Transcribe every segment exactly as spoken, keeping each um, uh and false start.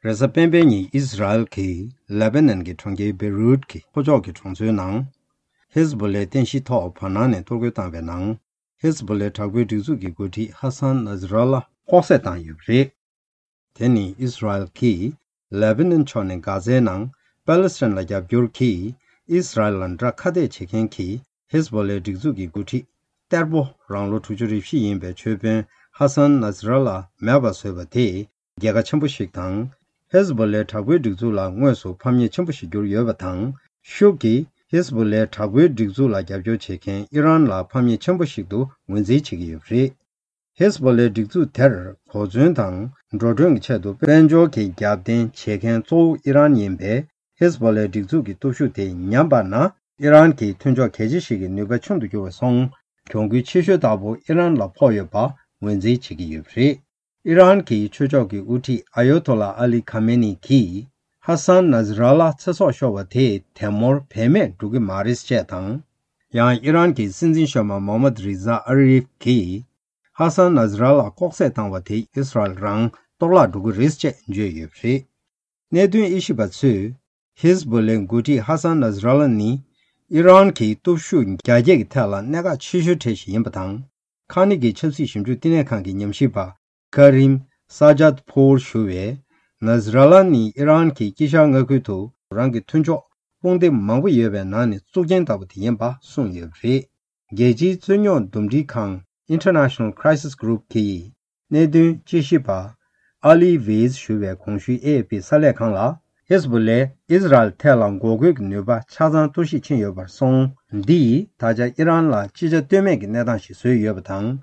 རེས་གཟའ་སྤེན་པའི་ཉིན་ཨིས་ར་ཨེལ་གྱིས་ལེ་བྷ་ནན་གྱི་གྲོང་ཁྱེར་བེ་རུད་ཀྱི་ལྷོ་ཕྱོགས་ཀྱི་གྲོང་ཚོའི་ནང་། ཧེ་ཟ་བྷོ་ལའི་རྟེན་གཞིའི་ཐོག་བར་སྣང་ནས་གཏོར་རྒོལ་བཏང་བའི་ནང་། ཧེ་ཟ་བྷོ་ལའི་དྲག་པོའི་སྒྲིག་འཛུགས་ཀྱི་འགོ་ཁྲིད་ཧ་སན་ནཱ་ཟི་ར་ལ་ལྐོག་བསད་བཏང་ཡོད་པ་རེད། དེ་ནི་ཨིས་ར་ཨེལ་གྱིས་ལེ་བྷ་ནན་ཕྱོགས་ནས་གྷ་ཛའི་ནང་པ་ལེ་སི་ཐན་ལ་རྒྱབ་སྐྱོར་གྱིས་ཨིས་ར་ཨེལ་ལ་དགྲ་ཁ་གཏད་བྱེད་མཁན་གྱི་ཧེ་ཟ་བྷོ་ལའི་སྒྲིག་འཛུགས་ཀྱི་འགོ་ཁྲིད་གཏེར་པོ་རང་ལོ་དྲུག་ཅུ་རེ་བཞི་ཡིན་པའི་ཆོས་དཔོན་ཧ་སན་ནཱ་ཟི་ར་ལ་མེད་པར་བཟོས་པ་དེས་རྒྱལ་ཁ་ཆེན་པོ་ཞིག་དང་། ཧེ་ཟ་བྷོ་ལའི་དྲག་པོའི་སྒྲིག་འཛུགས་ལ་དངོས་སུ་ཕམ་ཉེས་ཆེན་པོ་ཞིག་གྱུར་ཡོད་པ་དང་། ཤུགས་ཀྱིས་ཧེ་ཟ་བྷོ་ལའི་དྲག་པོའི་སྒྲིག་འཛུགས་ལ་རྒྱབ་སྐྱོར་བྱེད་མཁན་ཨི་རན་ལ་ཕམ་ཉེས་ཆེན་པོ་ཞིག་ཏུ་ངོས་འཛིན་བྱེད་ཀྱི་ཡོད་པ་རེད། ཧེ་ཟ་བྷོ་ལའི་སྒྲིག་འཛུགས་དེར་གོ་མཚོན་དང་འགྲོ་གྲོན་གྱི་ཆེད་དུ་དཔལ་འབྱོར་གྱི་རྒྱབ་རྟེན་བྱེད་མཁན་གཙོ་བོ་ཨི་རན་ཡིན་པས། ཧེ་ཟ་བྷོ་ལའི་སྒྲིག་འཛུགས་ཀྱི་སྟོབས་ཤུགས་དེ་ཉམས་པ་ན། ཨི་རན་གྱི་མཐུན་ཕྱོགས་གལ་ཆེ་ཞིག་གི་ནུས་པ་ཆུང་དུ་འགྱུར་བ་སོང་། གྱོང་གུན་ཆེ་ཤོས་ལྟ་བུ་ཨི་རན་ལ་ཕོག་ཡོད་པ་ངོས་འཛིན་བྱེད་ཀྱི་ཡོད་པ་རེད། ཨི་རན་གྱི་ཆོས་ཕྱོགས་ཀྱི་དབུ་ཁྲིད་ཨ་ཡོ་ཐོ་ལ་ཨ་ལི་ཁ་མེ་ནི་གིས། ཧ་སན་ནཱ་ཟི་ར་ལ་ཚེ་སྲོག་ཤོར་བ་དེས་དེ་མུར་བེད་མེད་འགྲོ་གི་མ་རེད་ཅེས་དང་། ཡང་ཨི་རན་གྱི་སྲིད་འཛིན་གཞོན་མ་མོ་མད་རི་ཛ་ཨ་རི་ཧྥ་གིས། ཧ་སན་ནཱ་ཟི་ར་ལ་ལྐོག་བསད་བཏང་བ་དེ་ཨིས་ར་ཨེལ་རང་གཏོར་བརླག་འགྲོ་གི་རེད་ཅེས་བརྗོད་ཡོད་པ་རེད། གནད་དོན་དབྱེ་ཞིབ་པ་ཚོས། ཧེ་ཟ་བྷོ་ལའི་འགོ་ཁྲིད་ཧ་སན་ནཱ་ཟི་ར་ལ་ནི། ཨི་རན་གྱི་སྟོབས་ཤུགས་རྒྱ་སྐྱེད་ཀྱི་ཐད་ལ་གནད་འགག་ཆེ་ཤོས་གྲས་ཤིག་ཡིན་པ་དང་། ཁ་ནི་གི་ཆབ་སྲིད་ཞིབ་འཇུག་བསྟི་གནས་ཁང་གི་ཉམས་ཞིབ་པ་ཀ་རིམ་ས་ཇཱད་ཕོར་ཞུ་བས། ནཱ་ཟི་ར་ལ་ནི་ཨི་རན་གྱི་དཀྱིལ་ཤར་མངའ་ཁུལ་དུ་རང་གི་མཐུན་ཕྱོགས་དཔུང་སྡེ་མང་པོ་ཡོད་པའི་ནང་ནས་གཙུག་རྒྱན་ལྟ་བུ་དེ་ཡིན་པ་གསུངས་ཡོད་པ་རེད། རྒྱལ་སྤྱིའི་རྩོད་རྙོག་འདུམ་འགྲིག་ཁང་International Crisis Group གིས། གནད་དོན་དཔྱད་ཞིབ་པ་ཨ་ལི་ཝེས་ཞུ་བས་གོང་ཞུས་ཨེ་ཨེ་ཕི་གསར་ལས་ཁང་ལ། ཧེ་ཟ་བྷོ་ལས་ཨིས་ར་ཨེལ་ཐད་ལ་འགོག་རྒོལ་གྱི་ནུས་པ་ཆ་ཚང་གཏོར་བཤིག་ཕྱིན་ཡོད་པར་སོང་། འདིས་ད་ཆ་ཨི་རན་ལ་ཅི་བྱ་གཏོལ་མེད་ཀྱི་གནས་སྟངས་ཤིག་བཟོས་ཡོད་པ་དང་།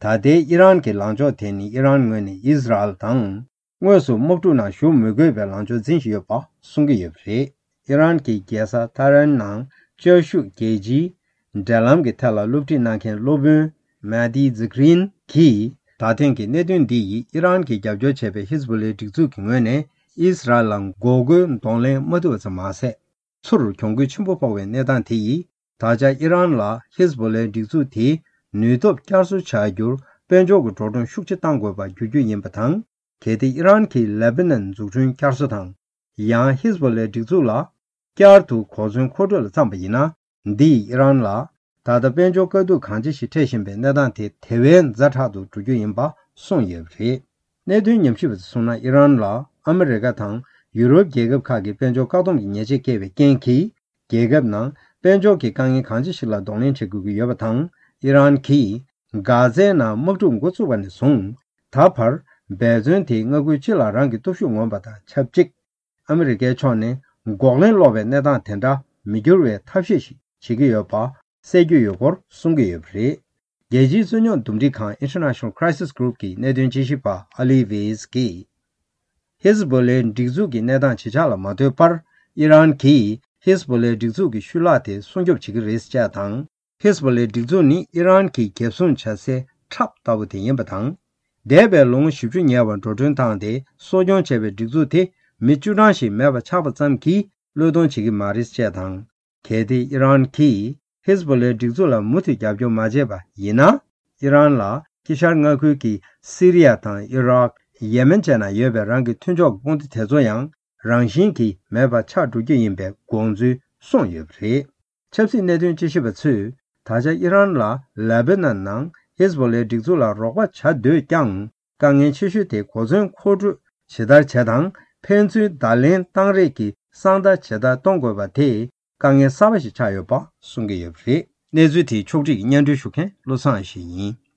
ད་ལྟའི་ཨི་རན་གྱི་ལངས་ཕྱོགས་དེ་ནི་ཨི་རན་ངོས་ནས་ཨིས་ར་ཨེལ་དང་། དངོས་སུ་དམག་འཁྲུག་ནང་ཞུགས་མི་དགོས་པའི་ལངས་ཕྱོགས་འཛིན་བཞིན་ཡོད་པ་གསུང་གི་ཡོད་པ་རེད། ཨི་རན་གྱི་རྒྱལ་ས་ཐ་རན་ནང་བཅའ་བཞུགས་རྒྱལ་སྤྱིའི་འབྲེལ་ལམ་གྱི་ཐད་ལ་སློབ་ཁྲིད་གནང་མཁན་སློབ་དཔོན་མེ་ཏི་ཛི་ཀྲིན་གྱིས། ད་ཐེངས་ཀྱི་གནད་དོན་འདི་ཡིས་ཨི་རན་གྱིས་རྒྱབ་སྐྱོར་བྱས་པའི་ཧི་ཟ་བྷོ་ལའི་སྒྲིག་འཛུགས་ཀྱི་ངོས་ནས་ཨིས་ར་ཨེལ་ལ་འགོག་རྒོལ་གདོང་ལེན་མ་ཐུབ་པ་ཙམ་མ་ཟད། ཚུར་གྱོང་གུད་ཆེན་པོ་ཕོག་པའི་གནས་སྟངས་དེ་ཡིས། ད་ཆ་ཨི་རན་ལ་ཧི་ཟ་བྷོ་ལའི་སྒྲིག་འཛུགས་དེའི་ནུས་སྟོབས་བསྐྱར་གསོ་བྱ་རྒྱུར་དཔལ་འབྱོར་གྱི་འགྲོ་གྲོན་ཤུགས་ཆེ་གཏང་དགོས་པ་འགྱུར་རྒྱུ་ཡིན་པ་དང་། གལ་ཏེ་ཨི་རན་གྱིས་ལེ་བྷ་ནན་འཛུགས་སྐྲུན་བསྐྱར་གསོ་དང་། ཡང་ཧི་ཟ་བྷོ་ལའི་སྒྲིག་འཛུགས་ལ་བསྐྱར་དུ་གོ་མཚོན་མཁོ་སྤྲོད་ལ་བརྩམས་པ་ཡིན་ན། འདིས་ཨི་རན་ལ་ད་ལྟ་དཔལ་འབྱོར་དཀའ་སྡུག་གང་ཆེ་ཞིག་འཕྲད་བཞིན་པའི་གནས་སྟངས་དེ་དེ་བས་ཛ་དྲག་ཏུ་འགྲོ་རྒྱུ་ཡིན་པ་གསུངས་ཡོད་པ་རེད། གནད་དོན་ཉམས་ཞིབ་པ་ཚོས་གསུངས་ན། ཨི་རན་ལ་ཨ་མི་རི་ཀ་དང་ཡུ་རོབ་རྒྱལ་ཁབ་ཁག་གིས་དཔལ་འབྱོར་བཀག་སྡོམ་གྱི་ཉེས་ཆད་བཀལ་བའི་རྐྱེན་གྱིས། རྒྱལ་ཁབ་ནང་དཔལ་འབྱོར་གྱི་དཀའ་ངལ་གང་ཆེ་ཞིག་ལ་གདོང་ལེན་བྱེད་དགོས་ཀྱི་ཡོད་པ་དང་། ཨི་རན་གྱིས་གྷ་ཛའི་ནང་དམག་འཁྲུག་འགོ་བཙུགས་པ་ནས་བཟུང་། ད་བར་འབད་བརྩོན་དེས་མངའ་ཁུལ་སྤྱི་ལ་རང་གི་སྟོབས་ཤུགས་མངོན་པ་དང་ཆབས་ཅིག་ཨ་མི་རི་ཀའི་ཕྱོགས་ནས་འགོག་ལན་སློག་པའི་གནས་སྟངས་དེ་འདྲ་མི་འགྱུར་བའི་ཐབས་ཤེས་ཤིག་བྱེད་ཀྱི་ཡོད་པ་གསལ་རྒྱུ་ཡོད་སྐོར་གསུང་གི་ཡོད་པ་རེད། རྒྱལ་སྤྱིའི་རྩོད་རྙོག་འདུམ་འགྲིག་ཁང་International Crisis Group གི་གནད་དོན་དཔྱད་ཞིབ་པ་ཨ་ལི་ཝེས་ཀྱིས། ཧི་ཟ་བྷོ་ལའི་སྒྲིག་འཛུགས་ཀྱི་གནས་སྟངས་ཇེ་ཆག་ལ་མ་ལྟོས་པར། ཨི་རན་གྱིས་ཧི་ཟ་བྷོ་ལའི་སྒྲིག་འཛུགས་ཀྱི་ཤུལ་ལྷག་དེ་སྲུང་སྐྱོབ་བྱེད་ཀྱི་རེད་ཅེས་དང་། ཧི་ཟ་བྷོ་ལའི་སྒྲིག་འཛུགས་ནི་ཨི་རན་གྱིས་འགེབས་སྲུང་བྱ་སའི་ཁྲབ་ལྟ་བུ་དེ་ཡིན་པ་དང་། འདས་པའི་ལོ་ངོ་བཞི་བཅུ་ཉེ་བར་འགྲོ་གྲོན་བཏང་སྟེ་གསོ་སྐྱོང་བྱས་པའི་སྒྲིག་འཛུགས་དེ་མི་བཅུ་གྲངས་ཤིག་མེད་པ་ཆགས་པ་ཙམ་གྱིས་བློས་གཏོང་བྱེད་ཀྱི་མ་རེད་ཅེས་དང་། གལ་ཏེ་ཨི་རན་གྱིས་ཧི་ཟ་བྷོ་ལའི་སྒྲིག་འཛུགས་ལ་མུ་མཐུད་རྒྱབ་སྐྱོར་མ་བྱས་པ་ཡིན་ན། ཨི་རན་ལ་དཀྱིལ་ཤར་མངའ་ཁུལ་གྱི་སི་རི་ཡ་དང་ཨི་རག་ཡེ་མེན་བཅས་ན་ཡོད་པའི་རང་གི་མཐུན་ཕྱོགས་ཀྱི་དཔུང་སྡེ་དེ་ཚོ་ཡང་རང་བཞིན་གྱིས་མེད་པ་ཆགས་འགྲོ་རྒྱུ་ཡིན་པའི་དགོངས་ཚུལ་གསུངས་ཡོད་པ་རེད། ཆབ་སྲིད་གནད་དོན་དཔྱད་ཞིབ་པ་ཚོས། ད་ཆ་ཨི་རན་ལ་ལེ་བྷ་ནན་ནང་ཧི་ཟ་བྷོ་ལའི་སྒྲིག་འཛུགས་ལ་རོགས་པ་བྱ་འདོད་ཀྱང་། དཀའ་ངལ་ཆེ་ཤོས་དེ་གོ་མཚོན་མཁོ་སྤྲོད་ཇི་ལྟར་བྱེད་དང་། ཕན་ཚུན་བརྡ་ལན་བཏང་རེས་ཀྱི་གསང་བརྡ་ཇི་ལྟར་གཏོང་དགོས་པ་དེ་དཀའ་ངལ་གསར་པ་ཞིག་ཆགས་ཡོད་པ་གསུང་གི་ཡོད་པ་རེད། གནས་ཚུལ་དེའི་ཕྱོགས་སྒྲིག་གིས་སྙན་སྒྲོན་ཞུ་མཁན་བློ་བཟང་ཡེ་ཤེས་ཡིན།